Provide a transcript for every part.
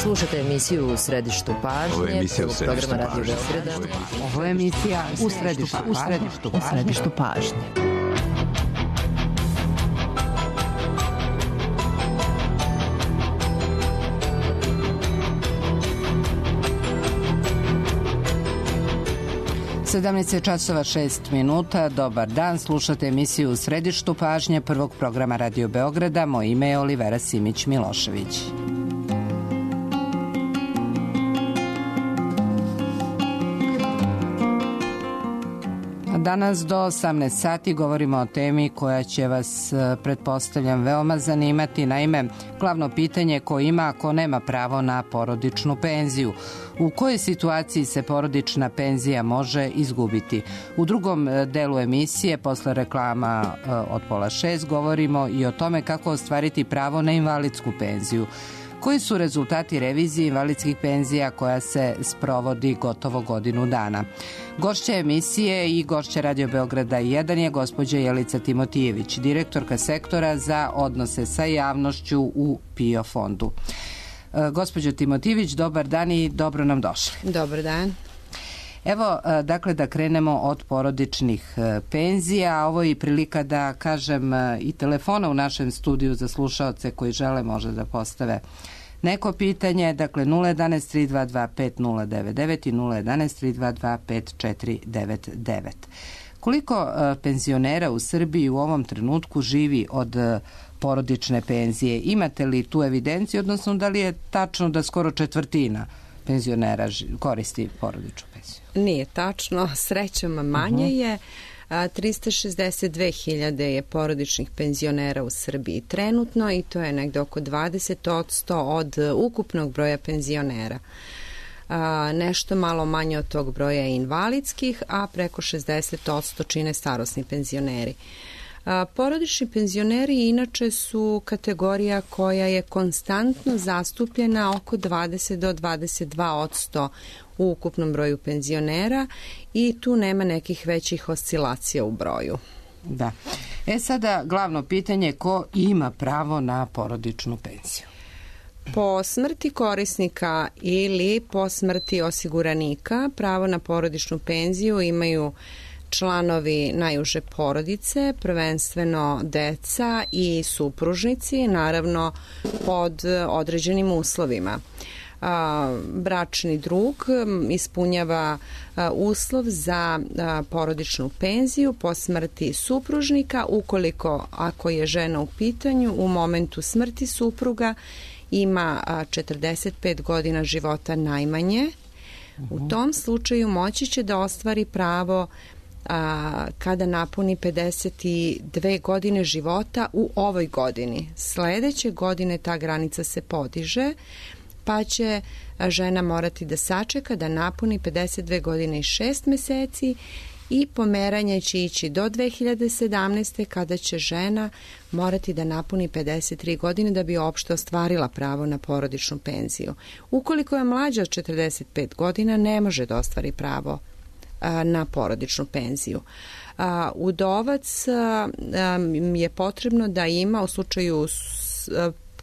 Slušajte emisiju U središtu pažnje. Ovo je emisija U središtu pažnje. Ovo je emisija U središtu pažnje. Sedamnaest časova 6 minuta. Dobar dan, slušate emisiju U središtu pažnje prvog programa Radio Beograda. Moje ime je Olivera Simić-Milošević. Danas do 18 sati govorimo o temi koja će vas, pretpostavljam, veoma zanimati. Naime, glavno pitanje ko ima, a ko nema pravo na porodičnu penziju. U kojoj situaciji se porodična penzija može izgubiti? U drugom delu emisije, posle reklama od 5:30, govorimo i o tome kako ostvariti pravo na invalidsku penziju. Koji su rezultati revizije invalidskih penzija koja se sprovodi gotovo godinu dana? Gošća emisije i gošća Radio Beograda 1 je gospođa Jelica Timotijević, direktorka sektora za odnose sa javnošću u PIO fondu. Gospođo Timotijević, dobar dan i dobro nam došli. Dobar dan. Evo, dakle, da krenemo od porodičnih penzija. Ovo je i prilika da kažem i telefona u našem studiju za slušaoce koji žele može da postave neko pitanje. Dakle, 011 322 5099 i 011 322 5499. Koliko penzionera u Srbiji u ovom trenutku živi od porodične penzije? Imate li tu evidenciju, odnosno da li je tačno da skoro četvrtina penzionera koristi porodičnu penziju? Nije tačno, srećom manje je. 362.000 je porodičnih penzionera u Srbiji trenutno i to je negde oko 20% od ukupnog broja penzionera. Nešto malo manje od tog broja je invalidskih, a preko 60% čine starosni penzioneri. Porodični penzioneri inače su kategorija koja je konstantno zastupljena oko 20 do 22% u ukupnom broju penzionera i tu nema nekih većih oscilacija u broju. Da. Sada glavno pitanje, ko ima pravo na porodičnu penziju? Po smrti korisnika ili po smrti osiguranika pravo na porodičnu penziju imaju članovi najuže porodice, prvenstveno deca i supružnici, naravno pod određenim uslovima. Bračni drug ispunjava uslov za porodičnu penziju po smrti supružnika ukoliko, ako je žena u pitanju, u momentu smrti supruga ima 45 godina života najmanje. U tom slučaju moći će da ostvari pravo kada napuni 52 godine života u ovoj godini. Sledeće godine ta granica se podiže, pa će žena morati da sačeka da napuni 52 godine i 6 meseci i pomeranje će ići do 2017. kada će žena morati da napuni 53 godine da bi uopšte ostvarila pravo na porodičnu penziju. Ukoliko je mlađa od 45 godina, ne može da ostvari pravo na porodičnu penziju. Udovac je potrebno da ima u slučaju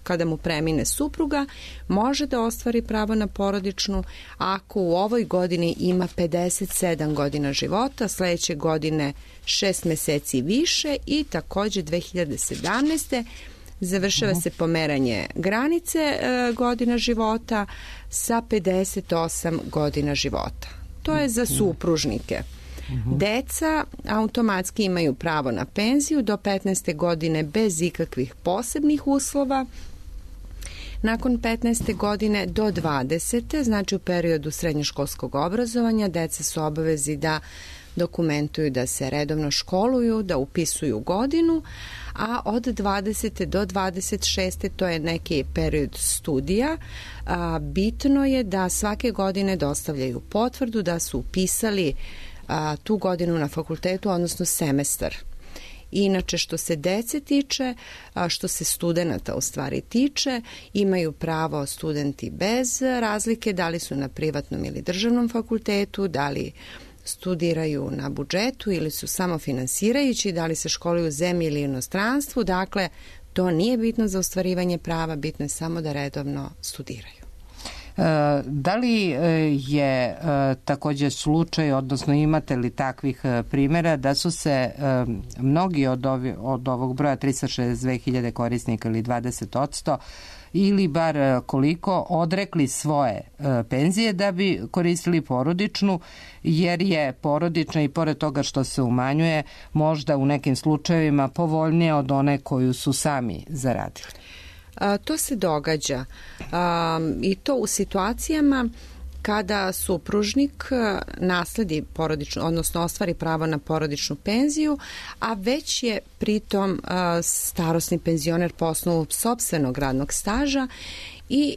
kada mu premine supruga, može da ostvari pravo na porodičnu ako u ovoj godini ima 57 godina života, sledeće godine 6 meseci više i takođe 2017. završava se pomeranje granice godina života sa 58 godina života. To je za supružnike. Deca automatski imaju pravo na penziju do 15. godine bez ikakvih posebnih uslova. Nakon 15. godine do 20. znači u periodu srednjoškolskog obrazovanja, deca su obavezi da dokumentuju da se redovno školuju, da upisuju godinu, a od 20. do 26. to je neki period studija. Bitno je da svake godine dostavljaju potvrdu da su upisali tu godinu na fakultetu, odnosno semestar. Inače, što se dece tiče, što se studenata u stvari tiče, imaju pravo studenti bez razlike da li su na privatnom ili državnom fakultetu, da li studiraju na budžetu ili su samo finansirajući, da li se školuju u zemlji ili inostranstvu. Dakle, to nije bitno za ostvarivanje prava, bitno je samo da redovno studiraju. Da li je također slučaj, odnosno imate li takvih primjera da su se mnogi od ovog broja 362.000 korisnika ili 20% ili bar koliko odrekli svoje penzije da bi koristili porodičnu, jer je porodična i pored toga što se umanjuje možda u nekim slučajevima povoljnija od one koju su sami zaradili? To se događa i to u situacijama kada supružnik nasledi porodičnu, odnosno ostvari pravo na porodičnu penziju, a već je pritom starosni penzioner po osnovu sopstvenog radnog staža i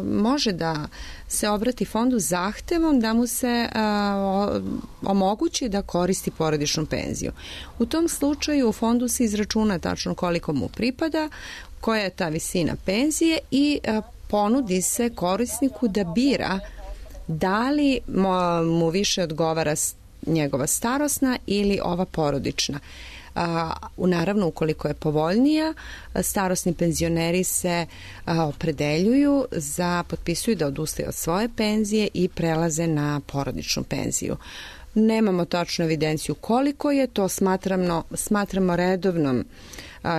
može da se obrati fondu zahtevom da mu se omogući da koristi porodičnu penziju. U tom slučaju u fondu se izračuna tačno koliko mu pripada, koja je ta visina penzije i ponudi se korisniku da bira da li mu više odgovara njegova starosna ili ova porodična. Naravno, ukoliko je povoljnija, starosni penzioneri se opredeljuju potpisuju da odustaju od svoje penzije i prelaze na porodičnu penziju. Nemamo tačnu evidenciju koliko je, to smatramo redovnom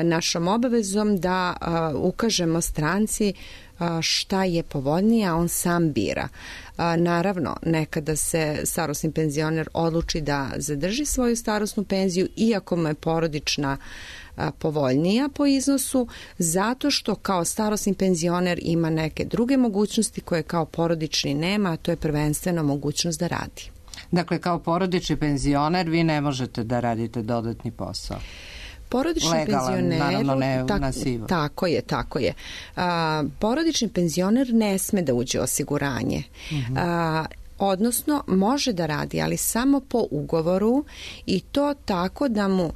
našom obavezom da ukažemo stranci šta je povoljnije, a on sam bira. Naravno, nekada se starosni penzioner odluči da zadrži svoju starosnu penziju, iako mu je porodična povoljnija po iznosu, zato što kao starosni penzioner ima neke druge mogućnosti koje kao porodični nema, a to je prvenstveno mogućnost da radi. Dakle, kao porodični penzioner vi ne možete da radite dodatni posao. Porodični legalan, naravno ne na sivo. Tako je. Porodični penzioner ne sme da uđe u osiguranje. Odnosno, može da radi, ali samo po ugovoru i to tako da mu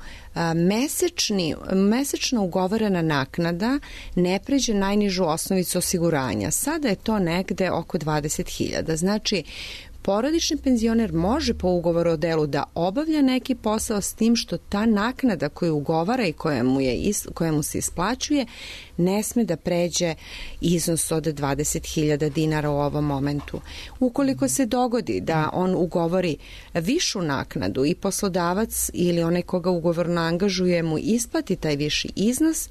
mesečno ugovorena naknada ne pređe najnižu osnovicu osiguranja. Sada je to negde oko 20.000. Znači, porodični penzioner može po ugovoru o delu da obavlja neki posao, s tim što ta naknada koju ugovara i koja mu se isplaćuje ne sme da pređe iznos od 20.000 dinara u ovom momentu. Ukoliko se dogodi da on ugovori višu naknadu i poslodavac ili onaj koga ugovorno angažuje mu isplati taj viši iznos,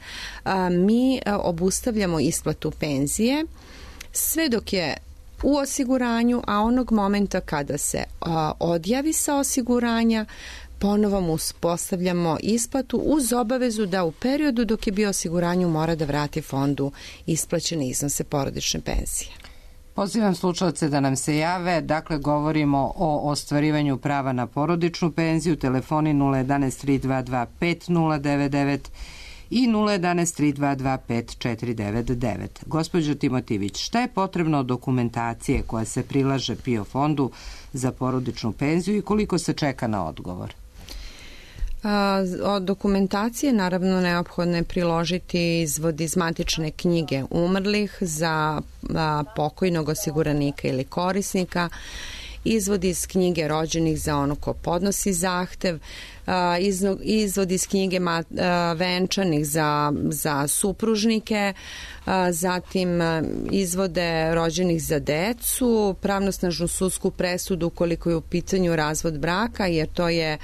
mi obustavljamo isplatu penzije sve dok je u osiguranju, a onog momenta kada se odjavi sa osiguranja, ponovo mu uspostavljamo isplatu uz obavezu da u periodu dok je bio osiguranju mora da vrati fondu isplaćene iznose porodične penzije. Pozivam slušalce da nam se jave. Dakle, govorimo o ostvarivanju prava na porodičnu penziju. Telefoni 011 322 5099 i 011 322 5499. Gospođo Timotivić, šta je potrebno od dokumentacije koja se prilaže PIO fondu za porodičnu penziju i koliko se čeka na odgovor? Od dokumentacije naravno neophodno je priložiti izvod iz matične knjige umrlih za pokojnog osiguranika ili korisnika, izvod iz knjige rođenih za ono ko podnosi zahtev, izvod iz knjige venčanih za supružnike, zatim izvode rođenih za decu, pravnosnažnu sudsku presudu ukoliko je u pitanju razvod braka, jer to je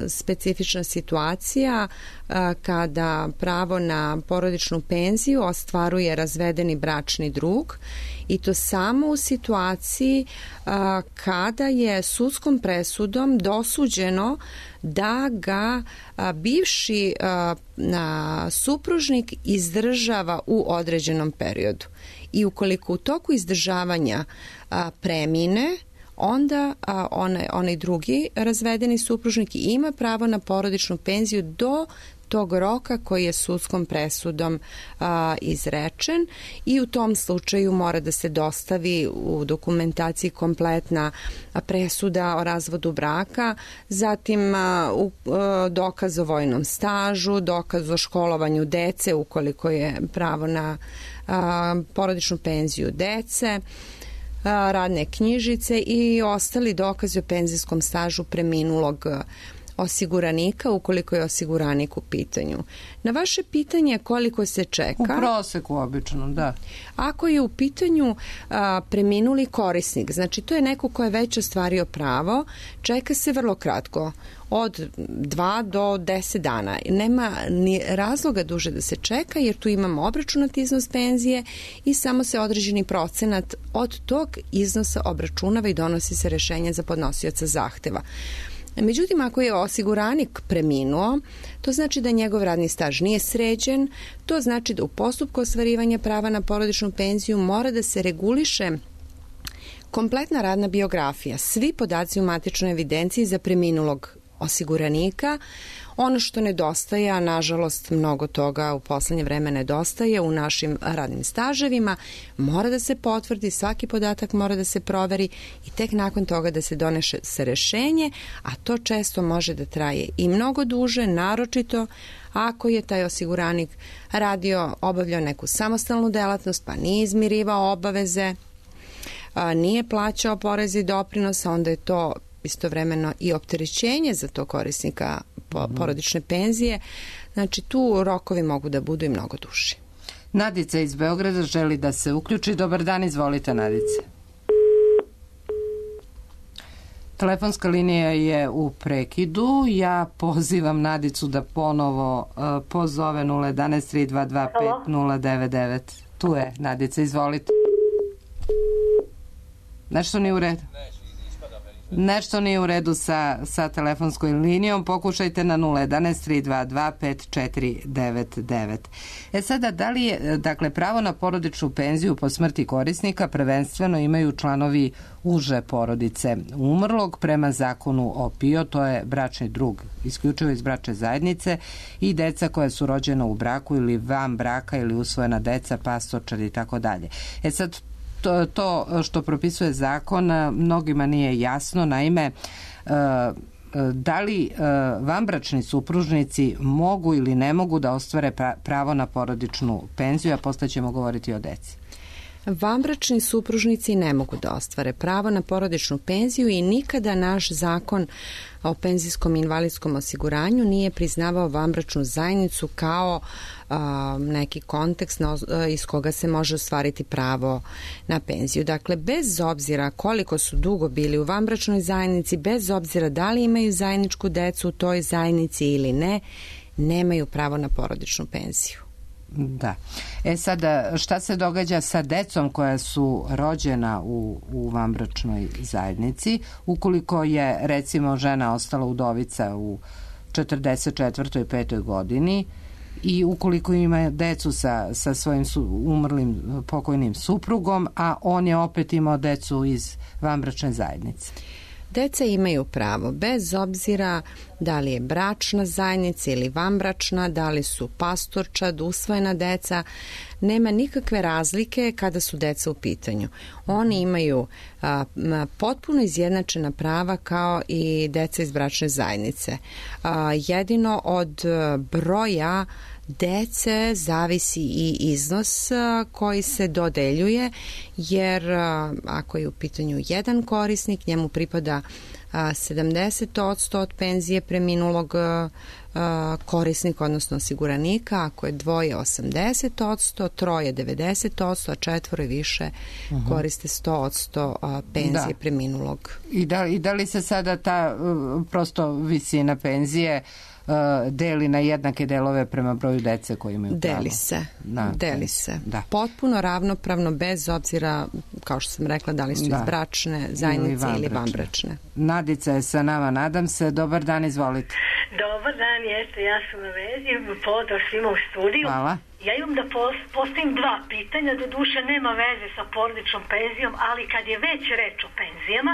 specifična situacija kada pravo na porodičnu penziju ostvaruje razvedeni bračni drug, i to samo u situaciji kada je sudskom presudom dosuđeno da ga bivši supružnik izdržava u određenom periodu. I ukoliko u toku izdržavanja premine, onda onaj drugi razvedeni supružnik ima pravo na porodičnu penziju do tog roka koji je sudskom presudom izrečen, i u tom slučaju mora da se dostavi u dokumentaciji kompletna presuda o razvodu braka, zatim dokaz o vojnom stažu, dokaz o školovanju dece ukoliko je pravo na porodičnu penziju dece, radne knjižice i ostali dokazi o penzijskom stažu preminulog osiguranika ukoliko je osiguranik u pitanju. Na vaše pitanje koliko se čeka... U proseku obično, da. Ako je u pitanju preminuli korisnik, znači to je neko ko je već ostvario pravo, čeka se vrlo kratko, od 2 do 10 dana. Nema ni razloga duže da se čeka, jer tu imamo obračunat iznos penzije i samo se određeni procenat od tog iznosa obračunava i donosi se rešenje za podnosioca zahteva. Međutim, ako je osiguranik preminuo, to znači da njegov radni staž nije sređen, to znači da u postupku ostvarivanja prava na porodičnu penziju mora da se reguliše kompletna radna biografija, svi podaci u matičnoj evidenciji za preminulog osiguranika. Ono što nedostaje, a nažalost mnogo toga u poslednje vreme nedostaje u našim radnim staževima, mora da se potvrdi, svaki podatak mora da se proveri i tek nakon toga da se donese rešenje, a to često može da traje i mnogo duže, naročito ako je taj osiguranik obavljao neku samostalnu delatnost, pa nije izmirivao obaveze, nije plaćao porez i doprinos, onda je to istovremeno i opterećenje za to korisnika porodične penzije. Znači, tu rokovi mogu da budu i mnogo duži. Nadica iz Beograda želi da se uključi. Dobar dan, izvolite, Nadice. Telefonska linija je u prekidu. Ja pozivam Nadicu da ponovo pozove 011 322 5099. Tu je, Nadica, izvolite. Nešto nije u redu? Nešto nije u redu sa telefonskoj linijom. Pokušajte na 011 322 5499. Sada, da li je, dakle, pravo na porodičnu penziju po smrti korisnika prvenstveno imaju članovi uže porodice umrlog prema zakonu o PIO, to je bračni drug, isključivo iz bračne zajednice, i deca koja su rođena u braku ili van braka ili usvojena deca, pastorčad i tako dalje. Sad, to što propisuje zakon mnogima nije jasno. Naime, da li vanbračni supružnici mogu ili ne mogu da ostvare pravo na porodičnu penziju, a posle ćemo govoriti o deci. Vanbračni supružnici ne mogu da ostvare pravo na porodičnu penziju i nikada naš zakon o penzijskom i invalidskom osiguranju nije priznavao vanbračnu zajednicu kao neki kontekst iz koga se može ostvariti pravo na penziju. Dakle, bez obzira koliko su dugo bili u vanbračnoj zajednici, bez obzira da li imaju zajedničku decu u toj zajednici ili ne, nemaju pravo na porodičnu penziju. Da. Sada, šta se događa sa decom koja su rođena u vanbračnoj zajednici, ukoliko je, recimo, žena ostala udovica u 44. i 5. godini i ukoliko ima decu sa svojim umrlim pokojnim suprugom, a on je opet imao decu iz vanbračne zajednice? Deca imaju pravo, bez obzira da li je bračna zajednica ili vanbračna, da li su pastorčad, usvojena deca, nema nikakve razlike kada su deca u pitanju. Oni imaju potpuno izjednačena prava kao i deca iz bračne zajednice. Jedino od broja dece zavisi i iznos koji se dodeljuje, jer ako je u pitanju jedan korisnik, njemu pripada 70% od penzije preminulog korisnika, odnosno osiguranika, ako je dvoje 80%, troje 90%, a četvoro i više koriste 100% penzije preminulog. I da li se sada ta prosto visina penzije deli na jednake delove prema broju dece koji imaju pravo? Deli se. Potpuno ravnopravno, bez obzira, kao što sam rekla, da li su iz bračne zajednice ili vanbračne. Nadica je sa nama, nadam se. Dobar dan, izvolite. Dobar dan, jeste, ja sam na vezi, pozdrav svima u studiju. Hvala. Ja imam da postavim dva pitanja, do duše nema veze sa porodičnom penzijom, ali kad je već reč o penzijama,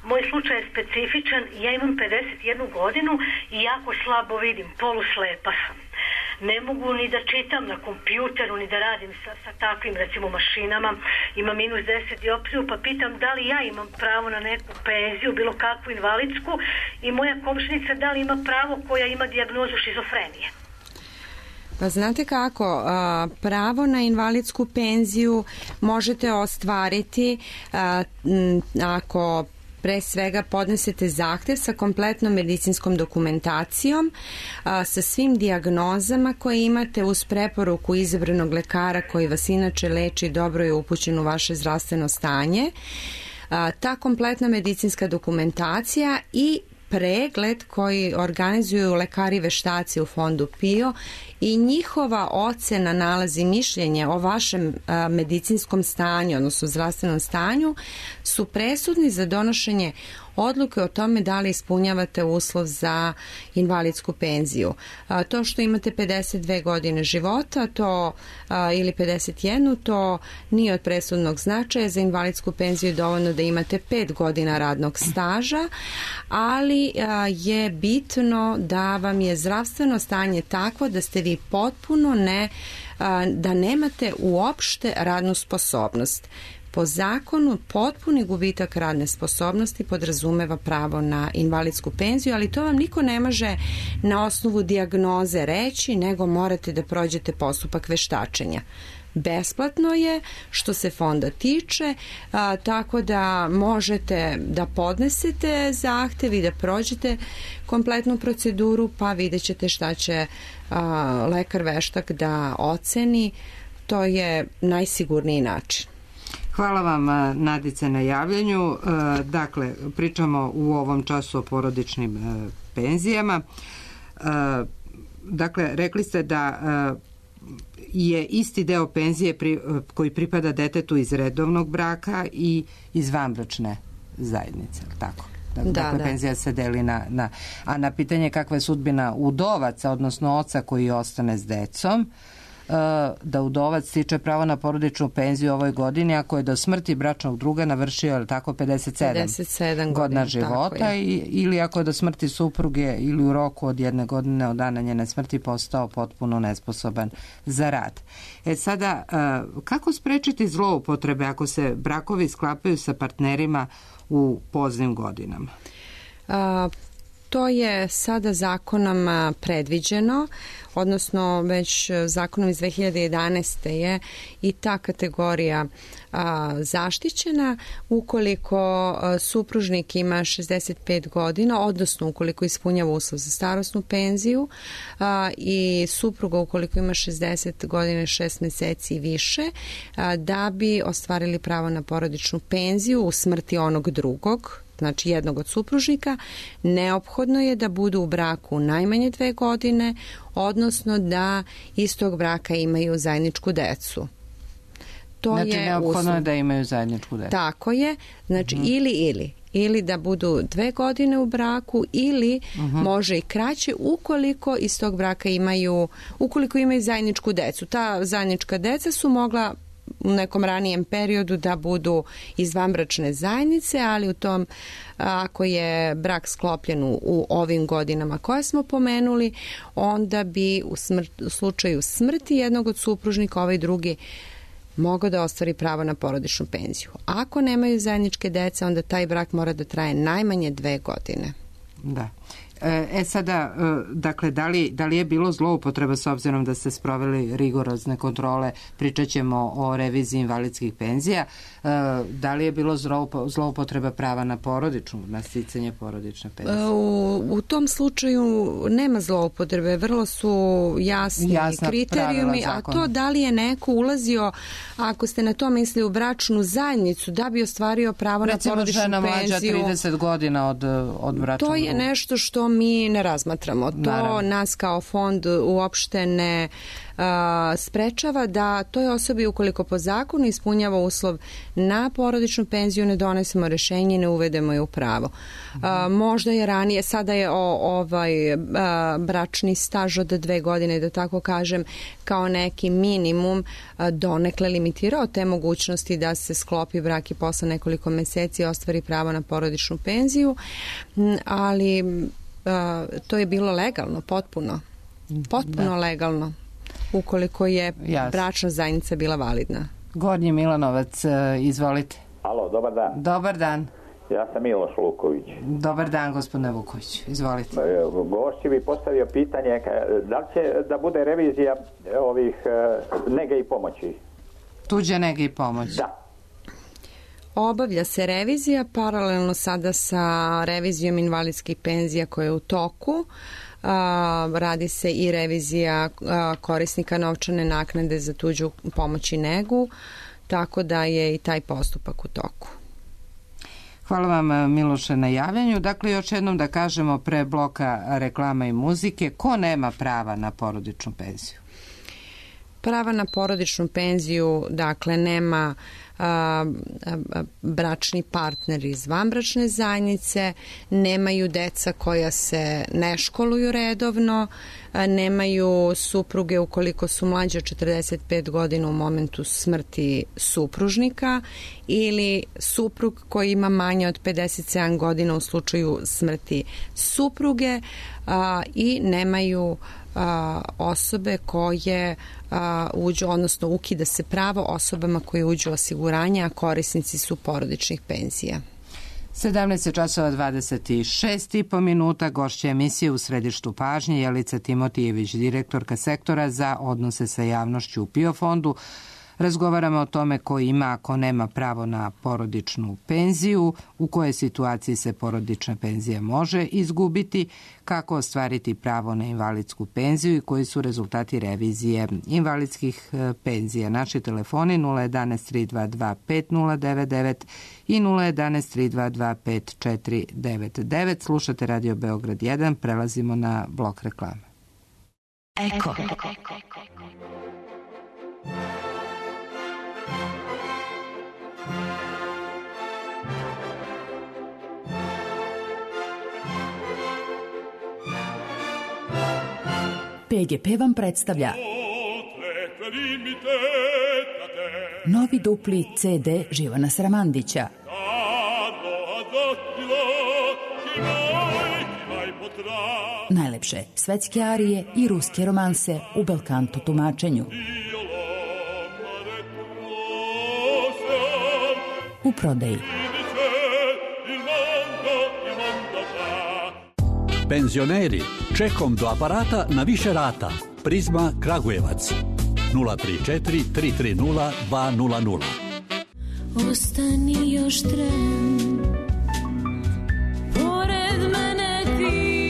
moj slučaj je specifičan, ja imam 51 godinu i jako slabo vidim, poluslepa sam. Ne mogu ni da čitam na kompjuteru, ni da radim sa takvim, recimo, mašinama, imam -10 dioptriju, pa pitam da li ja imam pravo na neku penziju, bilo kakvu invalidsku, i moja komšinica da li ima pravo koja ima dijagnozu šizofrenije. Pa znate kako, pravo na invalidsku penziju možete ostvariti ako pre svega podnesete zahtev sa kompletnom medicinskom dokumentacijom, sa svim dijagnozama koje imate uz preporuku izabranog lekara koji vas inače leči, dobro je upućen u vaše zdravstveno stanje. Ta kompletna medicinska dokumentacija i pregled koji organizuju lekari veštaci u fondu PIO i njihova ocena, nalazi, mišljenje o vašem medicinskom stanju, odnosno zdravstvenom stanju, su presudni za donošenje odluke o tome da li ispunjavate uslov za invalidsku penziju. To što imate 52 godine života ili 51, to nije od presudnog značaja. Za invalidsku penziju je dovoljno da imate 5 godina radnog staža, ali je bitno da vam je zdravstveno stanje takvo da ste vi potpuno da nemate uopšte radnu sposobnost. Po zakonu potpuni gubitak radne sposobnosti podrazumeva pravo na invalidsku penziju, ali to vam niko ne može na osnovu dijagnoze reći, nego morate da prođete postupak veštačenja. Besplatno je što se fonda tiče, tako da možete da podnesete zahtev i da prođete kompletnu proceduru, pa vidjet ćete šta će lekar veštak da oceni. To je najsigurniji način. Hvala vam, Nadice, na javljanju. Dakle, pričamo u ovom času o porodičnim penzijama. Dakle, rekli ste da je isti deo penzije koji pripada detetu iz redovnog braka i iz vanbračne zajednice, tako? Dakle, penzija se deli a na pitanje kakva je sudbina udovaca, odnosno oca koji ostane s decom, da udovac stiče pravo na porodičnu penziju u ovoj godini ako je do smrti bračnog druga navršio tako 57 godina života ili ako je do smrti supruge ili u roku od 1 godine od dana njene smrti postao potpuno nesposoban za rad. Sada, kako sprečiti zloupotrebe ako se brakovi sklapaju sa partnerima u poznim godinama? To je sada zakonom predviđeno, odnosno već zakonom iz 2011. je i ta kategorija zaštićena ukoliko supružnik ima 65 godina, odnosno ukoliko ispunjava uslov za starosnu penziju i supruga ukoliko ima 60 godina 6 meseci i više, da bi ostvarili pravo na porodičnu penziju u smrti onog drugog, znači jednog od supružnika, neophodno je da budu u braku najmanje 2 godine, odnosno da iz tog braka imaju zajedničku decu. Znači, neophodno je da imaju zajedničku decu. Tako je, znači ili da budu 2 godine u braku ili može i kraće ukoliko iz tog braka ukoliko imaju zajedničku decu. Ta zajednička deca su mogla u nekom ranijem periodu da budu iz vanbračne zajednice, ali u tom, ako je brak sklopljen u ovim godinama koje smo pomenuli, onda bi u slučaju smrti jednog od supružnika ovaj drugi mogao da ostvari pravo na porodičnu penziju. Ako nemaju zajedničke dece, onda taj brak mora da traje najmanje 2 godine. Da. Sada, dakle, da li je bilo zloupotreba s obzirom da ste sproveli rigorozne kontrole, pričat ćemo o reviziji invalidskih penzija, da li je bilo zloupotreba prava na sticanje porodične penzije? U tom slučaju nema zloupotrebe, vrlo su jasni kriterijumi, a to da li je neko ulazio, ako ste na to mislili, u bračnu zajednicu da bi ostvario pravo na porodičnu penziju. Recimo žena mlađa 30 godina od bračnog. To je nešto što mi ne razmatramo. To nas kao fond uopšte ne sprečava da toj osobi, ukoliko po zakonu ispunjava uslov na porodičnu penziju, ne donesemo rešenje i ne uvedemo je u pravo. Možda je ranije, sada je bračni staž od 2 godine, da tako kažem, kao neki minimum donekle limitirao te mogućnosti da se sklopi brak i posle nekoliko meseci ostvari pravo na porodičnu penziju, ali to je bilo legalno, potpuno legalno, ukoliko je bračna zajednica bila validna. Gornji Milanovac, izvolite. Alo, dobar dan. Dobar dan. Ja sam Miloš Vuković. Dobar dan, gospodine Vuković, izvolite. Gošći bi postavio pitanje, da li će da bude revizija ovih nege i pomoći? Tuđe nege i pomoći? Da. Obavlja se revizija paralelno sada sa revizijom invalidskih penzija koja je u toku. Radi se i revizija korisnika novčane naknade za tuđu pomoć i negu, tako da je i taj postupak u toku. Hvala vam, Miloše, na javljanju. Dakle, još jednom da kažemo pre bloka reklama i muzike, ko nema prava na porodičnu penziju? Prava na porodičnu penziju, dakle, nema bračni partner iz vanbračne zajednice, nemaju deca koja se ne školuju redovno, nemaju supruge ukoliko su mlađe od 45 godina u momentu smrti supružnika ili suprug koji ima manje od 57 godina u slučaju smrti supruge i nemaju osobe koje uđu, odnosno ukida se pravo osobama koje uđu u osiguranje, a korisnici su porodičnih penzija. 17:26 gošća emisije u središtu pažnje Jelica Timotijević, direktorka sektora za odnose sa javnošću u PIO fondu. Razgovaramo o tome ko ima, ko nema pravo na porodičnu penziju, u kojoj situaciji se porodična penzija može izgubiti, kako ostvariti pravo na invalidsku penziju i koji su rezultati revizije invalidskih penzija. Naši telefoni 011 322 5099 i 011 322 5499. Slušate Radio Beograd 1, prelazimo na blok reklame. Eko. PGP vam predstavlja novi dupli CD Živana Sramandića. Najlepše svetske arije i ruske romanse u belkanto tumačenju. U prodaji. Penzioneri, čekom do aparata na više rata. Prizma Kragujevac 034 330 200. Ostani još tren, pored mene ti,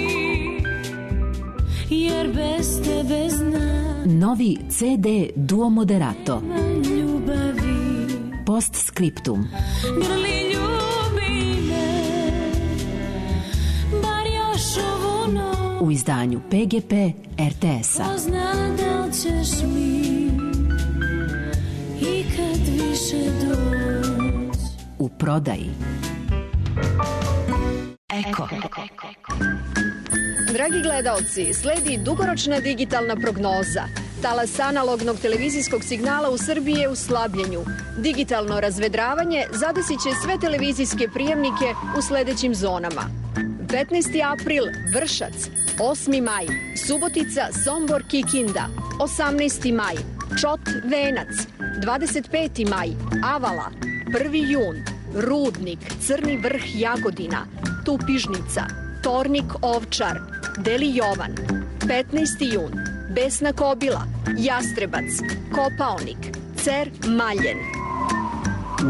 jer bez tebe znam. Novi CD Duo Moderato. Ljubavi. Postscriptum. Grli ljubi me, bar još ovu noć. U izdanju PGP RTS-a. Pozna da li ćeš mi ikad više doći. U prodaji. Eko. Dragi gledaoci, sledi dugoročna digitalna prognoza. Talas analognog televizijskog signala u Srbiji je u slabljenju. Digitalno razvedravanje zadesit će sve televizijske prijemnike u sledećim zonama. 15. april Vršac, 8. maj Subotica, Sombor, Kikinda, 18. maj Čot, Venac, 25. maj Avala, 1. jun Rudnik, Crni Vrh, Jagodina, Tupižnica, Tornik, Ovčar, Deli Jovan, 15. jun Besna Kobila, Jastrebac, Kopaonik, Cer, Maljen.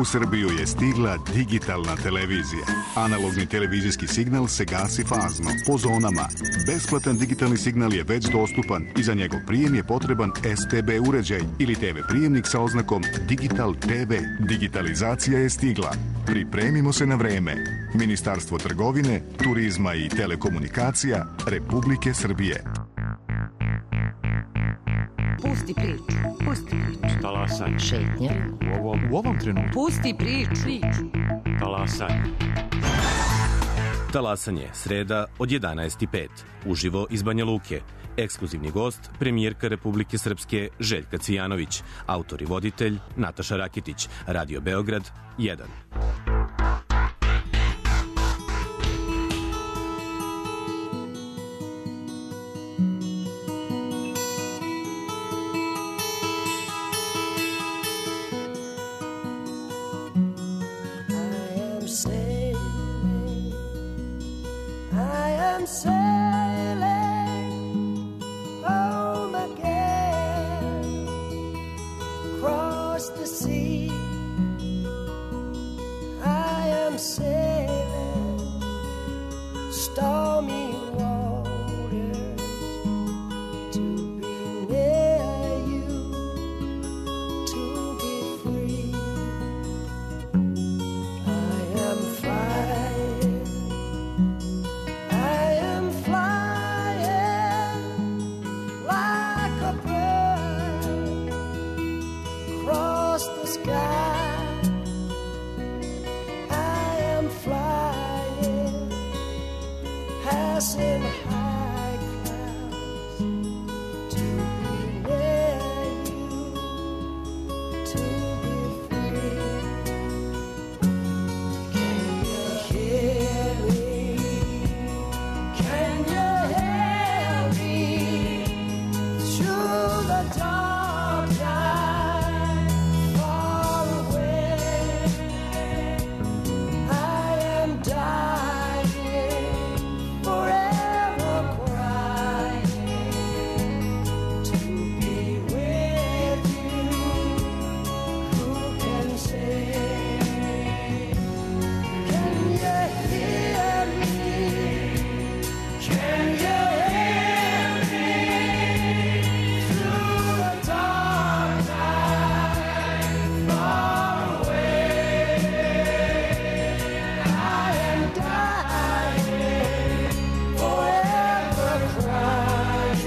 U Srbiju je stigla digitalna televizija. Analogni televizijski signal se gasi fazno, po zonama. Besplatan digitalni signal je već dostupan i za njegov prijem je potreban STB uređaj ili TV prijemnik sa oznakom Digital TV. Digitalizacija je stigla. Pripremimo se na vreme. Ministarstvo trgovine, turizma i telekomunikacija Republike Srbije. Pusti priču. Pusti priču. Talasanje. Šetnja. U ovom trenutku. Pusti priču. Talasanje. Talasanje, sreda od 11:05. Uživo iz Banja Luke. Ekskluzivni gost, premijerka Republike Srpske Željka Cvijanović. Autor i voditelj Nataša Rakitić. Radio Beograd 1. Sailing home again across the sea. passing high clouds to be near you, to be free. Can you hear me? Can you hear me through the dark night far away? I am dying, forever crying to be with you. Who can say? Can you hear me? Can you hear me through the dark night far away? I am dying, forever crying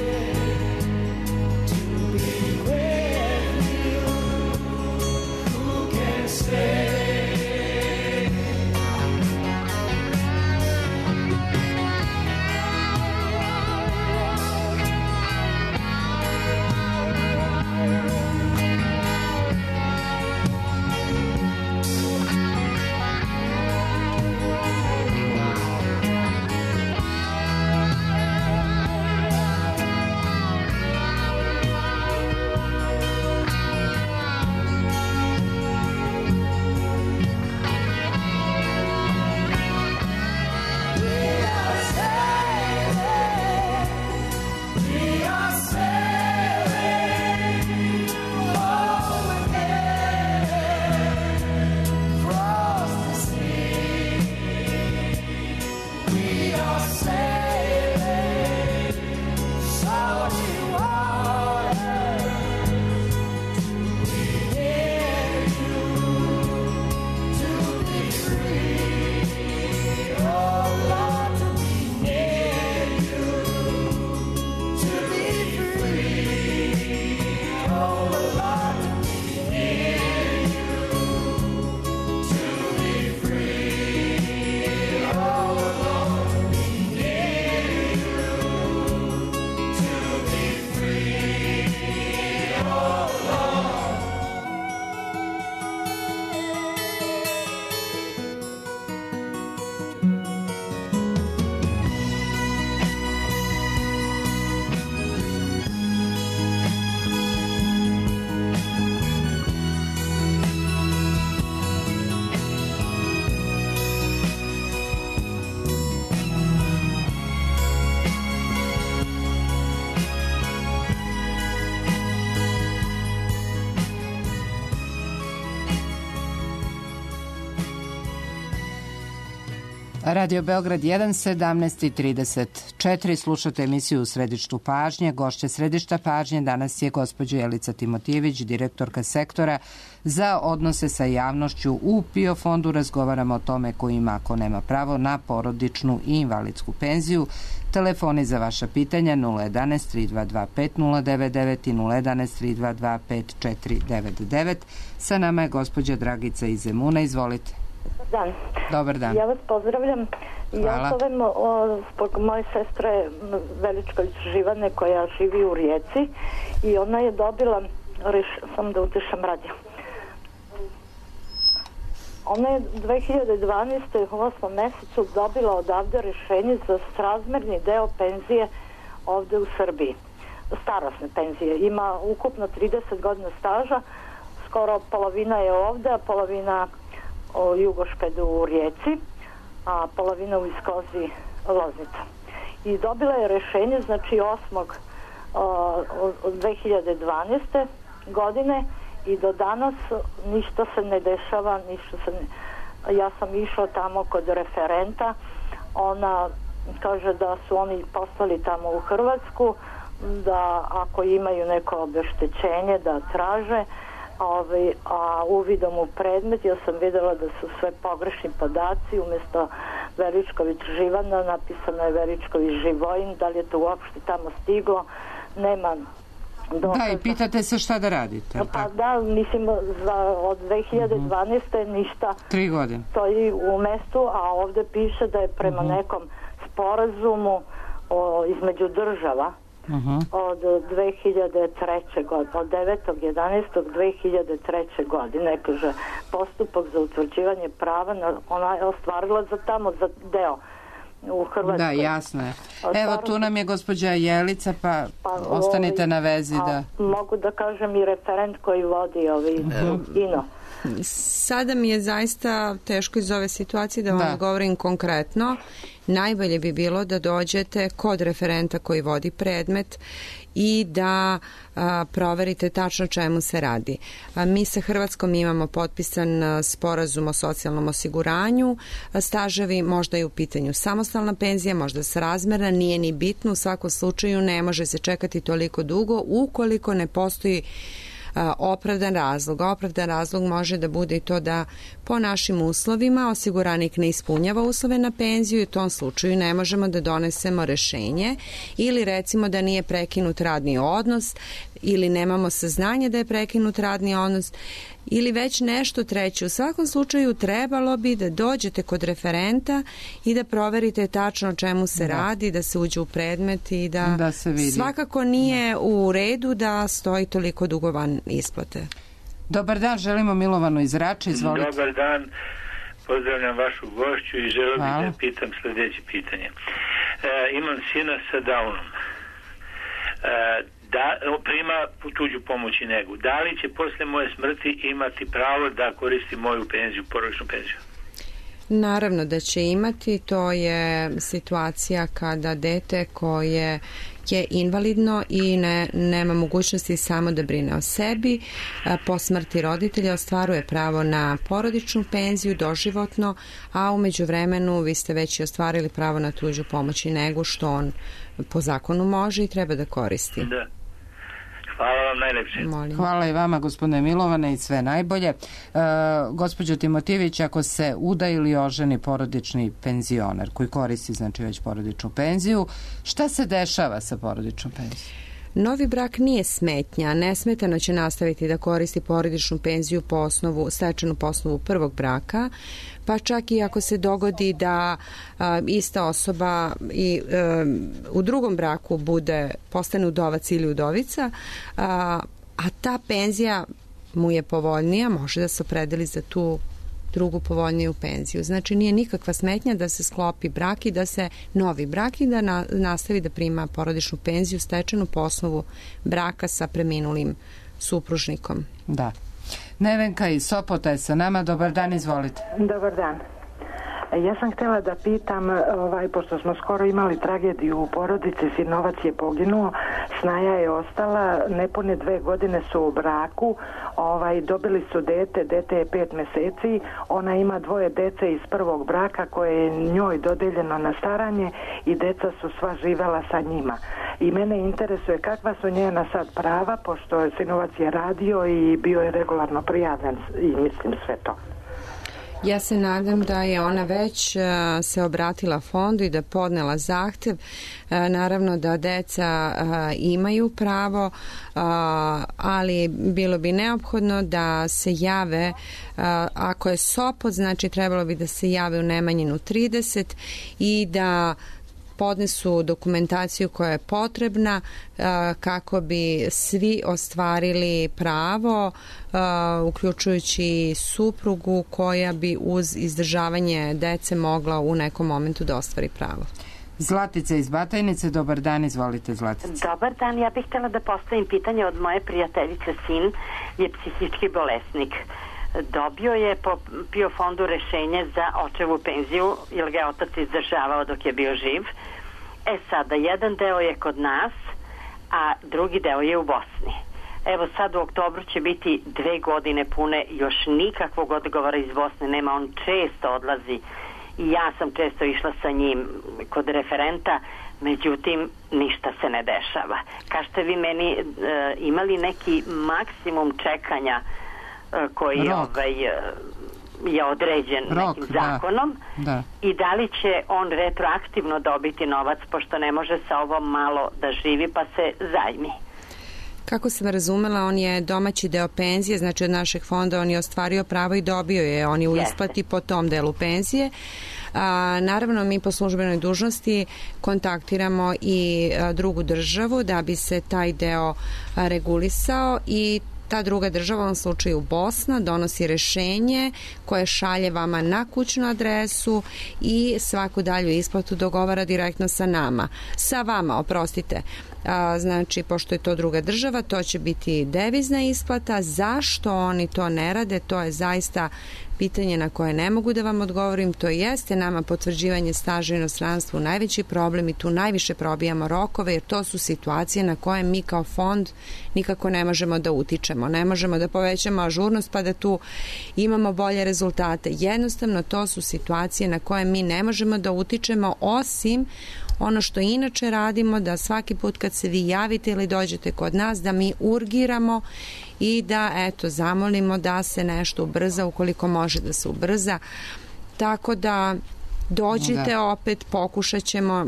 to be with you. Who can say? We are sailing home again, across the sea. We are sailing salty waters to be near you, to be free. Oh Lord, to be near you, to be free. Oh Lord, to be near you, to be free. Oh Lord, to be near you, to be free. Oh Lord. Radio Beograd 1, 17:34. Slušate emisiju Središtu pažnje. Gošća Središta pažnje danas je gospođa Jelica Timotijević, direktorka sektora za odnose sa javnošću u PIO fondu. Razgovaramo o tome ko ima, ako nema pravo na porodičnu i invalidsku penziju. Telefoni za vaša pitanja 011 322 5099 i 011 322 5499. Sa nama je gospođa Dragica iz Zemuna. Izvolite. Dan. Dobar dan. Ja vas pozdravljam. Ja zovem zbog moje sestre Veličković Živane koja živi u Rijeci i ona je dobila, sam da utišam radio. Ona je 2012. u 8. mesecu dobila odavde rješenje za srazmerni deo penzije ovde u Srbiji. Starosne penzije. Ima ukupno 30 godina staža, skoro polovina je ovde, a polovina u Jugošpedu u Rijeci, a polovina u Iskozi Loznica. I dobila je rešenje, znači 8. od 2012. godine i do danas ništa se ne dešava, ja sam išla tamo kod referenta, ona kaže da su oni poslali tamo u Hrvatsku, da ako imaju neko obeštećenje da traže, a uvidom u predmet ja sam videla da su sve pogrešni podaci, umjesto Veličković Živana napisano je Veličković Živojin, da li je to uopšte tamo stiglo, nema dokaza. Da, i pitate se šta da radite. Pa da, mislim od 2012. ništa 3 godine stoji u mestu, a ovde piše da je prema nekom sporazumu između država od 2003. godine, od 9.11.2003. godine, kaže, postupak za utvrđivanje prava, ona je ostvarila za deo u Hrvatskoj. Da, jasno je. Evo, tu nam je gospođa Jelica, pa ostanite na vezi. Mogu da kažem i referent koji vodi INO. Sada mi je zaista teško iz ove situacije da vam govorim konkretno. Najbolje bi bilo da dođete kod referenta koji vodi predmet i da proverite tačno čemu se radi. Mi sa Hrvatskom imamo potpisan sporazum o socijalnom osiguranju, staževi, možda je u pitanju samostalna penzija, možda srazmerna, nije ni bitno, u svakom slučaju ne može se čekati toliko dugo ukoliko ne postoji opravdan razlog. Opravdan razlog može da bude i to da po našim uslovima osiguranik ne ispunjava uslove na penziju i u tom slučaju ne možemo da donesemo rešenje, ili recimo da nije prekinut radni odnos ili nemamo saznanje da je prekinut radni odnos ili već nešto treće. U svakom slučaju trebalo bi da dođete kod referenta i da proverite tačno o čemu se radi, da se uđe u predmet i da se vidi. Svakako nije u redu da stoji toliko dugo van isplate. Dobar dan, želimo Milovanu iz Rače, izvolite. Dobar dan, pozdravljam vašu gošću i želeo bih da pitam sljedeće pitanje. Imam sina sa Downom. Prima tuđu pomoć i negu. Da li će posle moje smrti imati pravo da koristi moju penziju, porodičnu penziju? Naravno da će imati. To je situacija kada dete koje je invalidno i nema mogućnosti samo da brine o sebi, po smrti roditelja ostvaruje pravo na porodičnu penziju doživotno, a u međuvremenu vi ste već i ostvarili pravo na tuđu pomoć i negu, što on po zakonu može i treba da koristi. Da. Hvala vam najlepše. Hvala i vama, gospodine Milovane, i sve najbolje. Gospođo Timotijević, ako se uda ili oženi porodični penzioner koji koristi znači već porodičnu penziju, šta se dešava sa porodičnom penzijom? Novi brak nije smetnja, nesmetano će nastaviti da koristi porodičnu penziju stečenu po osnovu prvog braka, pa čak i ako se dogodi da ista osoba i u drugom braku postane udovac ili udovica, a ta penzija mu je povoljnija, može da se opredeli za tu drugu povoljniju penziju. Znači nije nikakva smetnja da se sklopi brak i da se novi brak i da nastavi da prima porodičnu penziju stečenu po osnovu braka sa preminulim supružnikom. Da. Nevenka iz Sopota je sa nama. Dobar dan, izvolite. Dobar dan. Ja sam htjela da pitam, pošto smo skoro imali tragediju u porodici, sinovac je poginuo, snaja je ostala, nepune 2 godine su u braku, dobili su dete je 5 meseci, ona ima 2 dece iz prvog braka koje je njoj dodeljeno na staranje i deca su sva živela sa njima. I mene interesuje kakva su njena sad prava, pošto sinovac je radio i bio je regularno prijavljen i mislim sve to. Ja se nadam da je ona već se obratila fondu i da podnela zahtev. Naravno da deca imaju pravo, ali bilo bi neophodno da se jave, ako je Sopot, znači trebalo bi da se jave u Nemanjinu 30 i da podnesu dokumentaciju koja je potrebna kako bi svi ostvarili pravo, uključujući suprugu koja bi uz izdržavanje dece mogla u nekom momentu da ostvari pravo. Zlatica iz Batajnice, dobar dan, izvolite Zlatica. Dobar dan, ja bih htjela da postavim pitanje od moje prijateljice. Sin je psihički bolesnik. Dobio je po PIO fondu rešenje za očevu penziju, jer ga je otac izdržavao dok je bio živ. Sada, jedan deo je kod nas, a drugi deo je u Bosni. Evo sad u oktobru će biti 2 godine pune, još nikakvog odgovora iz Bosne nema, on često odlazi i ja sam često išla sa njim kod referenta, međutim ništa se ne dešava. Kažete vi meni, imali neki maksimum čekanja koji je određen nekim zakonom i da li će on retroaktivno dobiti novac, pošto ne može sa ovom malo da živi pa se zajmi? Kako sam razumela, on je domaći deo penzije, znači od našeg fonda on je ostvario pravo i dobio je, on je u isplati po tom delu penzije. Naravno, mi po službenoj dužnosti kontaktiramo i drugu državu da bi se taj deo regulisao i ta druga država, u ovom slučaju Bosna, donosi rešenje koje šalje vama na kućnu adresu i svaku dalju isplatu dogovara direktno sa vama, znači, pošto je to druga država, to će biti devizna isplata. Zašto oni to ne rade, to je zaista pitanje na koje ne mogu da vam odgovorim. To jeste nama potvrđivanje staža u inostranstvu najveći problem i tu najviše probijamo rokove, jer to su situacije na koje mi kao fond nikako ne možemo da utičemo. Ne možemo da povećamo ažurnost pa da tu imamo bolje rezultate. Jednostavno, to su situacije na koje mi ne možemo da utičemo, osim ono što inače radimo, da svaki put kad se vi javite ili dođete kod nas, da mi urgiramo i da, zamolimo da se nešto ubrza, ukoliko može da se ubrza. Tako da dođite opet, pokušat ćemo,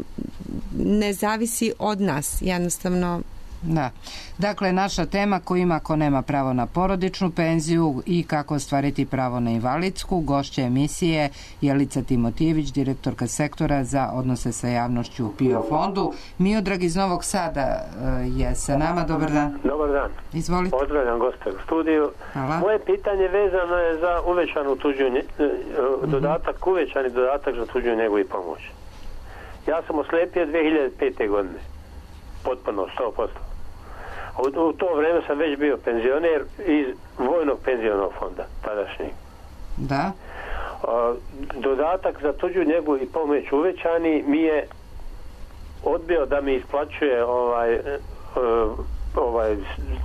ne zavisi od nas, jednostavno. Da. Dakle, naša tema ko ima, ko nema pravo na porodičnu penziju i kako ostvariti pravo na invalidsku. Gošća emisije Jelica Timotijević, direktorka sektora za odnose sa javnošću u PIO fondu. Miodrag iz Novog Sada je sa nama. Dobar dan. Dobar dan. Izvolite. Pozdravljam goste u studiju. Hvala. Moje pitanje vezano je za uvećanu tuđu dodatak, uvećani dodatak za tuđu njegu i pomoć. Ja sam oslepio 2005. godine. Potpuno, 100%. U to vreme sam već bio penzioner iz vojnog penzionog fonda, tadašnjeg. Da. Dodatak za tuđu njegu i pomoć uvećani mi je odbio da mi isplaćuje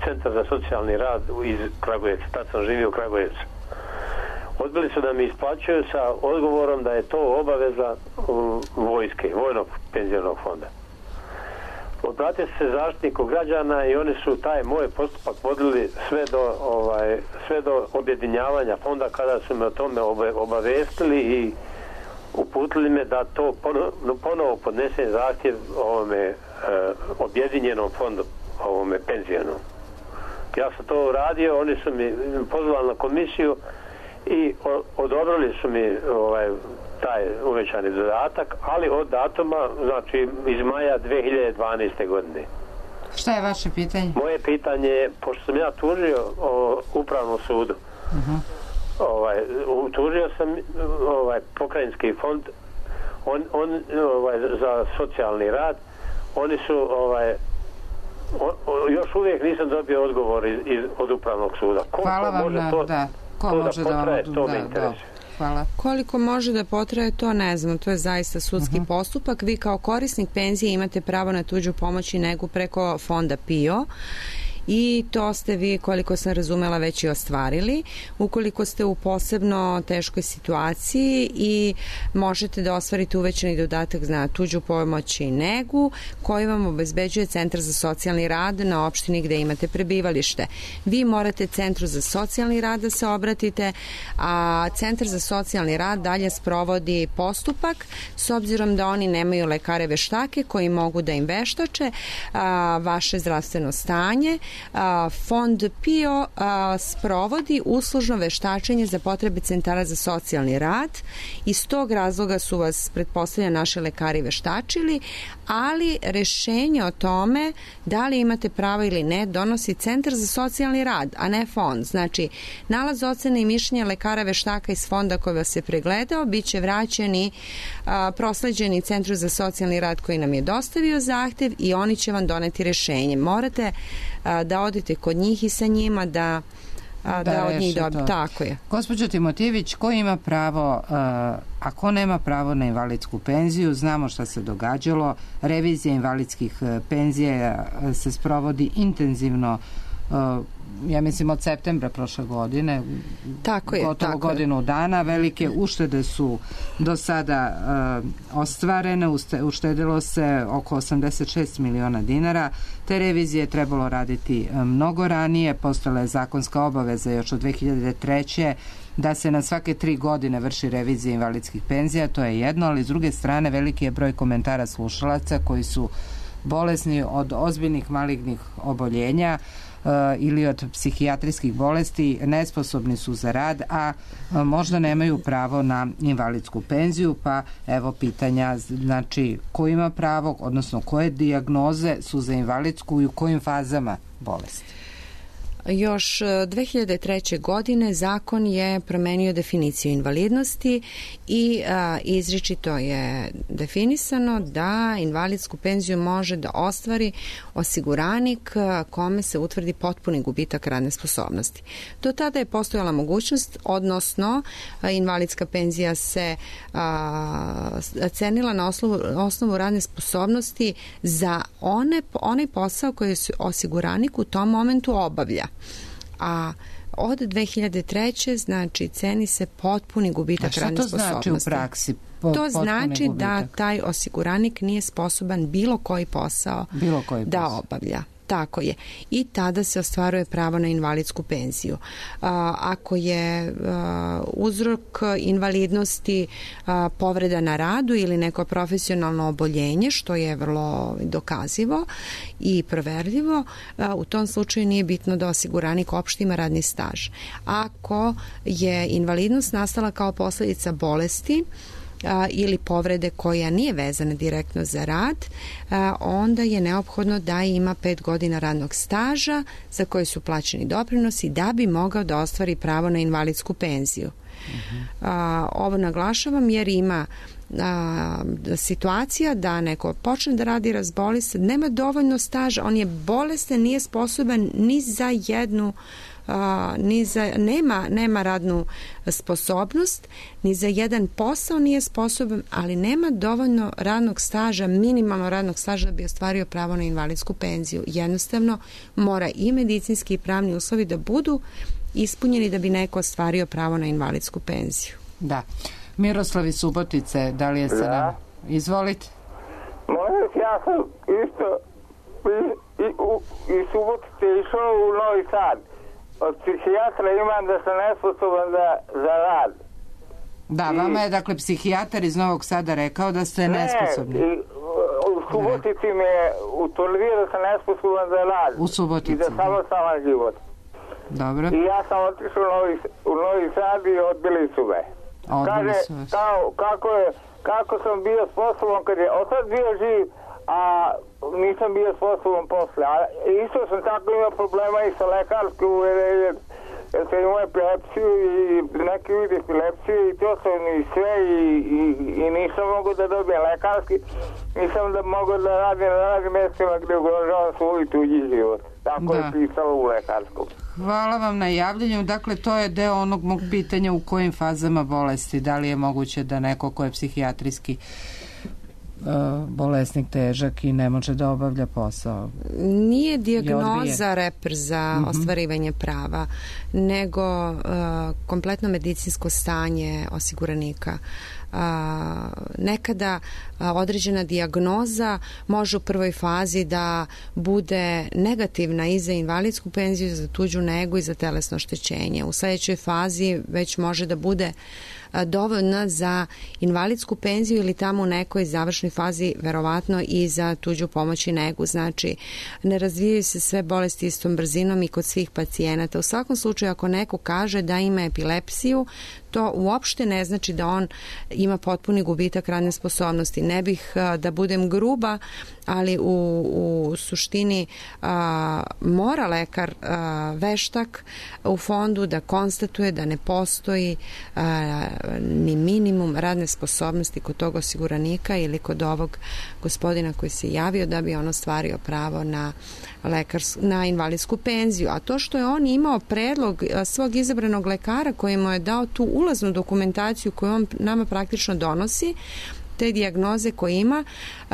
centar za socijalni rad iz Kragujevca. Tad sam živio u Kragujevcu. Odbili su da mi isplaćuju sa odgovorom da je to obaveza vojske, vojnog penzionog fonda. Obratio se zaštitniku građana i oni su taj moj postupak vodili sve do objedinjavanja fonda, kada su me o tome obavestili i uputili me da to ponovo podnesem zahtjev ovome objedinjenom fondu, ovome penzijonom. Ja sam to uradio, oni su mi pozvali na komisiju i odobrili su mi taj uvećani dodatak, ali od datuma, znači iz maja 2012. godine. Šta je vaše pitanje? Moje pitanje je, pošto sam ja tužio Upravnom sudu, tužio sam pokrajinski fond za socijalni rad, oni su još uvijek nisam dobio odgovor od Upravnog suda. Hvala vam ko može da vam interesuje. Hvala. Koliko može da potraje, to ne znam, to je zaista sudski postupak. Vi kao korisnik penzije imate pravo na tuđu pomoć i negu preko fonda PIO i to ste vi, koliko sam razumela, već i ostvarili. Ukoliko ste u posebno teškoj situaciji i možete da ostvarite uvećani dodatak na tuđu pomoć i negu koji vam obezbeđuje Centar za socijalni rad na opštini gde imate prebivalište. Vi morate Centru za socijalni rad da se obratite, a Centar za socijalni rad dalje sprovodi postupak, s obzirom da oni nemaju lekare veštake koji mogu da im veštače vaše zdravstveno stanje. Fond PIO sprovodi uslužno veštačenje za potrebe centara za socijalni rad. Iz tog razloga su vas, pretpostavljam, naši lekari veštačili, ali rešenje o tome da li imate pravo ili ne donosi Centar za socijalni rad, a ne fond. Znači, nalaz ocene i mišljenja lekara veštaka iz fonda koji vas je pregledao biće vraćeni, prosleđeni Centru za socijalni rad koji nam je dostavio zahtev i oni će vam doneti rešenje. Morate da odete kod njih i sa njima da od njih dobiti. Tako je. Gospođo Timotijević, ko ima pravo, a ko nema pravo na invalidsku penziju? Znamo šta se događalo. Revizija invalidskih penzija se sprovodi intenzivno, ja mislim od septembra prošle godine, gotovo godinu dana. Velike uštede su do sada ostvarene, uštedilo se oko 86 miliona dinara. Te revizije je trebalo raditi mnogo ranije, postala je zakonska obaveza još od 2003. da se na svake 3 godine vrši revizija invalidskih penzija, to je jedno, ali s druge strane veliki je broj komentara slušalaca koji su bolesni od ozbiljnih malignih oboljenja, ili od psihijatrijskih bolesti nesposobni su za rad, a možda nemaju pravo na invalidsku penziju, pa evo pitanja, znači ko ima pravo, odnosno koje dijagnoze su za invalidsku i u kojim fazama bolesti? Još 2003. godine zakon je promenio definiciju invalidnosti i izričito je definisano da invalidsku penziju može da ostvari osiguranik kome se utvrdi potpuni gubitak radne sposobnosti. Do tada je postojala mogućnost, odnosno invalidska penzija se cenila na osnovu radne sposobnosti za onaj posao koji osiguranik u tom momentu obavlja. A od 2003. znači ceni se potpuni gubitak radne sposobnosti. Šta to znači u praksi? To znači da taj osiguranik nije sposoban bilo koji posao da obavlja. Tako je. I tada se ostvaruje pravo na invalidsku penziju. Ako je uzrok invalidnosti povreda na radu ili neko profesionalno oboljenje, što je vrlo dokazivo i proverljivo, u tom slučaju nije bitno da osiguranik uopšte ima radni staž. Ako je invalidnost nastala kao posljedica bolesti ili povrede koja nije vezana direktno za rad, onda je neophodno da ima 5 godina radnog staža za koje su plaćeni doprinosi da bi mogao da ostvari pravo na invalidsku penziju. Ovo naglašavam jer ima situacija da neko počne da radi, razboli se, nema dovoljno staža, on je bolestan, nije sposoban ni za jednu nema radnu sposobnost, ni za jedan posao nije sposoban, ali nema dovoljno radnog staža, minimalno radnog staža da bi ostvario pravo na invalidsku penziju. Jednostavno mora i medicinski i pravni uslovi da budu ispunjeni da bi neko ostvario pravo na invalidsku penziju. Da. Miroslav iz Subotice, da li je sa nama? Izvolite. Možda ja sam isto iz Subotice išao u Novi Sad. Od psihijatra imam da sam nesposoban za rad. Da, vama je dakle psihijatar iz Novog Sada rekao da ste nesposobni. U Subotici mi je utvrdio da sam nesposoban za rad. U Subotici. I za samostalan život. Dobro. I ja sam otišao u Novi Sad i odbili su me. Odbili su vas. Kako sam bio sposoban kad je otad bio živ, a nisam bio sposoban posle. A isto sam tako imao problema i sa lekarskom uverenjem, jer sam imao epilepsiju i neki vid epilepsije i to sam i sve i nisam mogao da dobijem lekarski, nisam da mogao da radim na radnim mjestima gdje ugrožavam svoj tuđi život. Tako je pisalo u lekarskom. Hvala vam na javljanju. Dakle, to je deo onog mog pitanja u kojim fazama bolesti. Da li je moguće da neko ko je psihijatrijski bolesnik, težak i ne može da obavlja posao? Nije dijagnoza reper za ostvarivanje prava, nego kompletno medicinsko stanje osiguranika. Nekada određena dijagnoza može u prvoj fazi da bude negativna i za invalidsku penziju, za tuđu negu i za telesno oštećenje. U sljedećoj fazi već može da bude dovoljna za invalidsku penziju ili tamo u nekoj završnoj fazi verovatno i za tuđu pomoć i negu. Znači, ne razvijaju se sve bolesti istom brzinom i kod svih pacijenata. U svakom slučaju, ako neko kaže da ima epilepsiju, to uopšte ne znači da on ima potpuni gubitak radne sposobnosti. Ne bih da budem gruba, ali u suštini mora lekar veštak u fondu da konstatuje da ne postoji ni minimum radne sposobnosti kod tog osiguranika ili kod ovog gospodina koji se javio da bi on ostvario pravo na invalidsku penziju. A to što je on imao predlog svog izabranog lekara koji mu je dao tu ulaznu dokumentaciju koju on nama praktično donosi, te dijagnoze koje ima,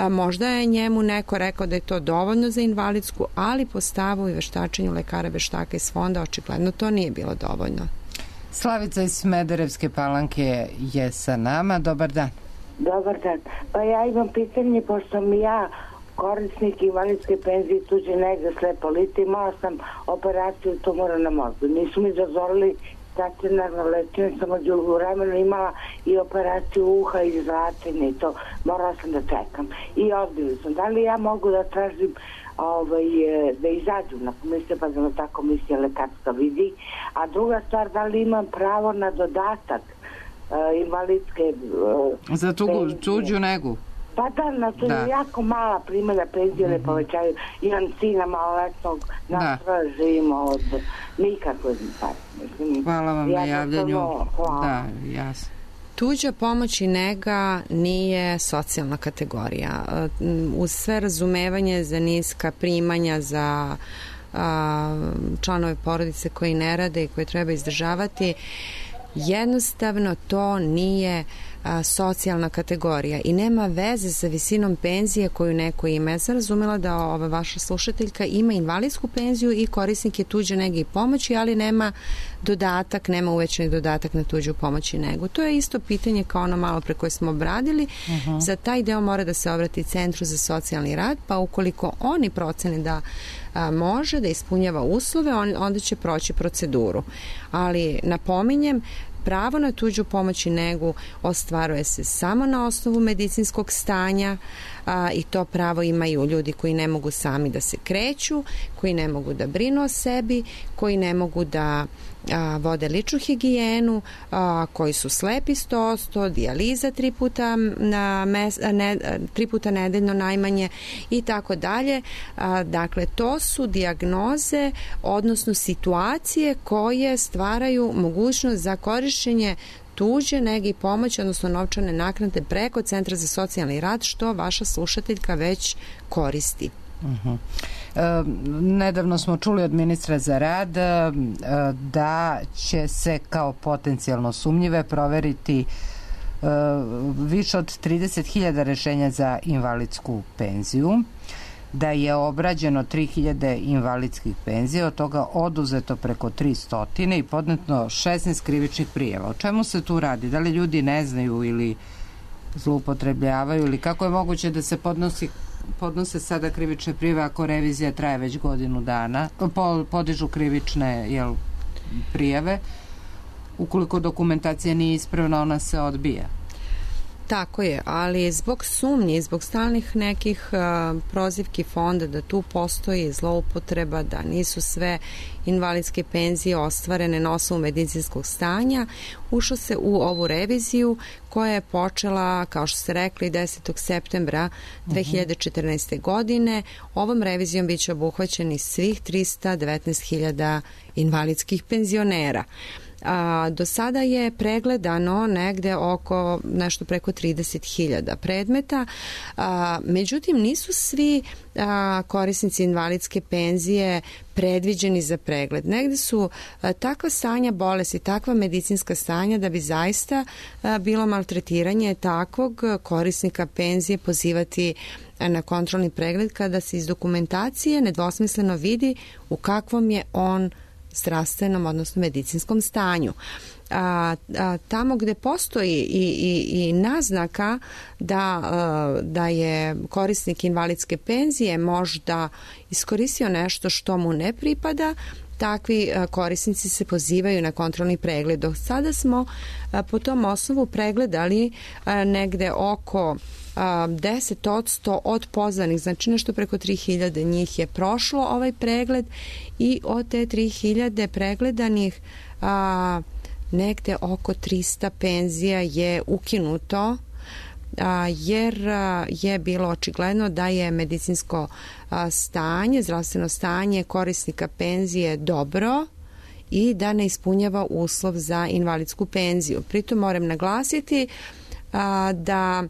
možda je njemu neko rekao da je to dovoljno za invalidsku, ali po stavu i veštačenju lekara veštaka iz fonda očigledno to nije bilo dovoljno. Slavica iz Smederevske Palanke je sa nama. Dobar dan. Dobar dan. Pa ja imam pitanje, pošto mi ja korisnik invalidske penzije tuđe nege slepoliti, imala sam operaciju tumora na mozgu. Nisu mi dozvolili stacionarno lečenje, sam od vremena imala i operaciju uha i zračenja i to. Morala sam da čekam. I odbili sam. Da li ja mogu da tražim da izađu na komisiju, pa da ta komisija lekarstva vidi. A druga stvar, da li imam pravo na dodatak invalidske za tuđu negu? Pa da, to je jako mala primjera, penzije ne povećaju. Imam sina maloletnog, nas živimo od nikakve. Hvala vam na javljanju. Da, jasno. Tuđa pomoć i nega nije socijalna kategorija. Uz sve razumevanje za niska primanja, za članove porodice koji ne rade i koje treba izdržavati, jednostavno to nije socijalna kategorija i nema veze sa visinom penzije koju neko ima. Ja sam razumela da ova vaša slušateljka ima invalidsku penziju i korisnik je tuđe nege i pomoći, ali nema dodatak, nema uvećani dodatak na tuđu pomoć i negu. To je isto pitanje kao ono malo pre koje smo obradili. Za taj deo mora da se obrati Centru za socijalni rad, pa ukoliko oni procene da može da ispunjava uslove, onda će proći proceduru. Ali napominjem, pravo na tuđu pomoć i negu ostvaruje se samo na osnovu medicinskog stanja i to pravo imaju ljudi koji ne mogu sami da se kreću, koji ne mogu da brinu o sebi, koji ne mogu da vode ličnu higijenu, koji su slepi 100%, dijaliza 3 puta nedeljno najmanje i tako dalje. Dakle, to su dijagnoze, odnosno situacije koje stvaraju mogućnost za korišćenje tuđe nege i pomoći, odnosno novčane naknade preko Centra za socijalni rad, što vaša slušateljka već koristi. Nedavno smo čuli od ministra za rad da će se kao potencijalno sumnjive proveriti više od 30.000 rešenja za invalidsku penziju, da je obrađeno 3.000 invalidskih penzija, od toga oduzeto preko 300 i podneto 16 krivičnih prijava. O čemu se tu radi? Da li ljudi ne znaju ili zloupotrebljavaju ili kako je moguće da se podnose sada krivične prijave ako revizija traje već godinu dana, podižu krivične prijave, ukoliko dokumentacija nije ispravna, ona se odbija. Tako je, ali zbog sumnje, zbog stalnih nekih prozivki fonda da tu postoji zloupotreba, da nisu sve invalidske penzije ostvarene na osnovu medicinskog stanja, ušlo se u ovu reviziju koja je počela, kao što ste rekli, 10. septembra 2014. godine. Ovom revizijom biće obuhvaćeni svih 319.000 invalidskih penzionera. Do sada je pregledano negde oko nešto preko 30.000 predmeta, međutim nisu svi korisnici invalidske penzije predviđeni za pregled. Negde su takva stanja bolesti, takva medicinska stanja da bi zaista bilo maltretiranje takvog korisnika penzije pozivati na kontrolni pregled kada se iz dokumentacije nedvosmisleno vidi u kakvom je on zdravstvenom, odnosno medicinskom stanju. Tamo gde postoji i naznaka da je korisnik invalidske penzije možda iskoristio nešto što mu ne pripada, takvi korisnici se pozivaju na kontrolni pregled. Do sada smo po tom osnovu pregledali negde oko 10% od pozvanih, znači nešto preko 3.000 njih je prošlo ovaj pregled i od te 3.000 pregledanih negde oko 300 penzija je ukinuto jer je bilo očigledno da je medicinsko stanje, zdravstveno stanje korisnika penzije dobro i da ne ispunjava uslov za invalidsku penziju. Pritom moram naglasiti da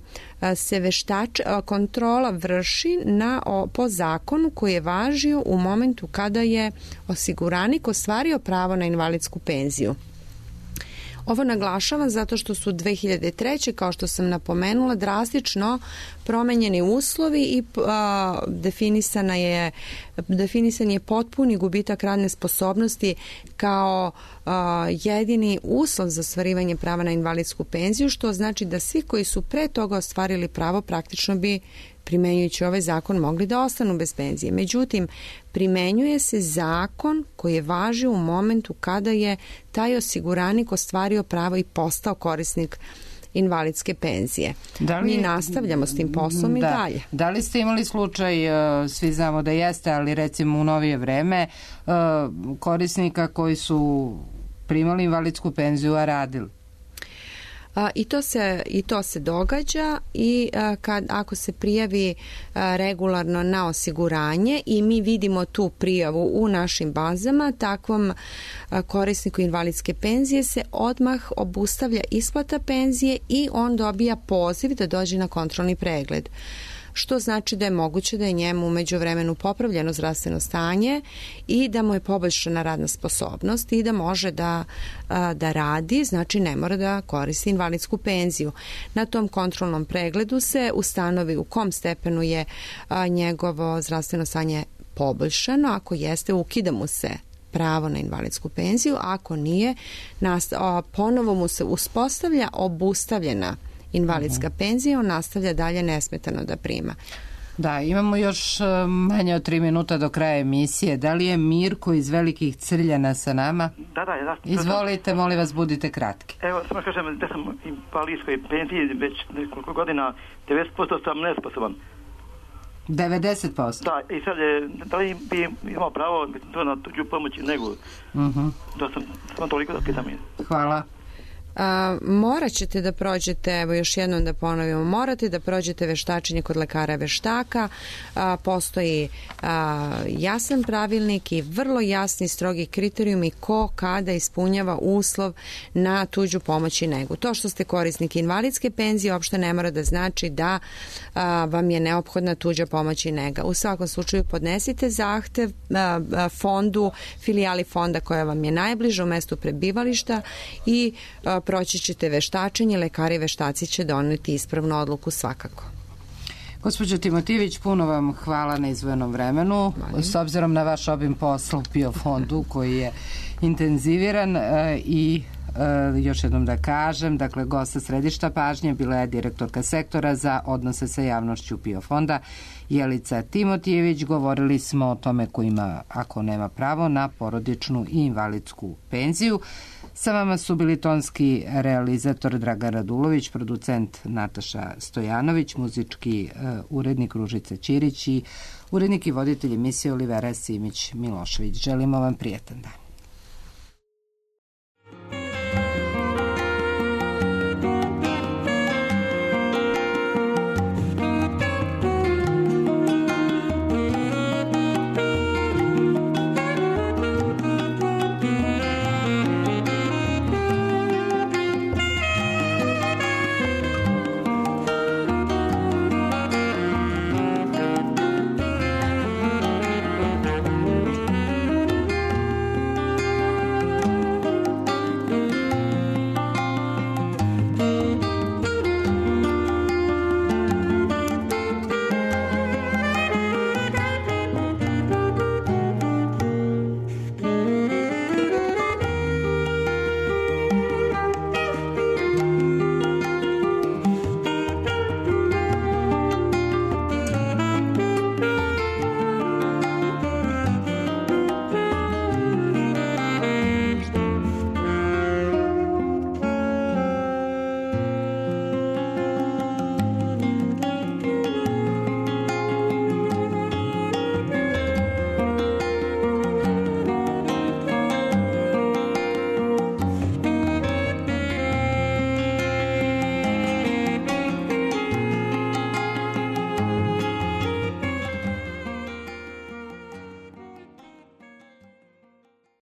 se kontrola vrši po zakonu koji je važio u momentu kada je osiguranik ostvario pravo na invalidsku penziju. Ovo naglašavam zato što su 2003. kao što sam napomenula drastično promenjeni uslovi i definisan je potpuni gubitak radne sposobnosti kao jedini uslov za ostvarivanje prava na invalidsku penziju, što znači da svi koji su pre toga ostvarili pravo praktično bi primenjujući ovaj zakon mogli da ostanu bez penzije. Međutim, primenjuje se zakon koji je važio u momentu kada je taj osiguranik ostvario pravo i postao korisnik invalidske penzije. Mi nastavljamo s tim poslom i dalje. Da li ste imali slučaj, svi znamo da jeste, ali recimo u novije vreme, korisnika koji su primali invalidsku penziju, a radili? I to se događa i ako se prijavi regularno na osiguranje i mi vidimo tu prijavu u našim bazama, takvom korisniku invalidske penzije se odmah obustavlja isplata penzije i on dobija poziv da dođe na kontrolni pregled. Što znači da je moguće da je njemu u međuvremenu popravljeno zdravstveno stanje i da mu je poboljšana radna sposobnost i da može da radi, znači ne mora da koristi invalidsku penziju. Na tom kontrolnom pregledu se ustanovi u kom stepenu je njegovo zdravstveno stanje poboljšano. Ako jeste, ukida mu se pravo na invalidsku penziju, ako nije, ponovo mu se uspostavlja obustavljena invalidska penzija, on nastavlja dalje nesmetano da prima. Da, imamo još manje od 3 minuta do kraja emisije. Da li je Mirko iz Velikih Crljana sa nama? Da. Izvolite, molim vas, budite kratki. Evo, samo kažem da sam u invalidskoj penziji već nekoliko godina, 90% sam nesposoban. 90%? Da, i sad da li bi imao pravo to na tuđu pomoć i negu? To sam toliko da pitam. Hvala. Morat ćete da prođete, evo još jednom da ponovimo, morate da prođete veštačenje kod lekara veštaka, postoji jasan pravilnik i vrlo jasni strogi kriterijumi ko kada ispunjava uslov na tuđu pomoć i negu. To što ste korisnik invalidske penzije uopšte ne mora da znači da vam je neophodna tuđa pomoć i nega. U svakom slučaju podnesite zahtev fondu, filijali fonda koja vam je najbliža u mestu prebivališta i proći ćete veštačenje, lekari veštaci će doneti ispravnu odluku svakako. Gospođo Timotijević, puno vam hvala na izdvojenom vremenu. S obzirom na vaš obim posla u PIO fondu koji je intenziviran i još jednom da kažem, dakle, gosta središta pažnje bila je direktorka sektora za odnose sa javnošću PIO fonda Jelica Timotijević. Govorili smo o tome ko ima, ako nema pravo na porodičnu i invalidsku penziju. Sa vama su bili tonski realizator Dragan Radulović, producent Nataša Stojanović, muzički urednik Ružica Ćirić i urednik i voditelj emisije Olivera Simić Milošević. Želimo vam prijetan dan.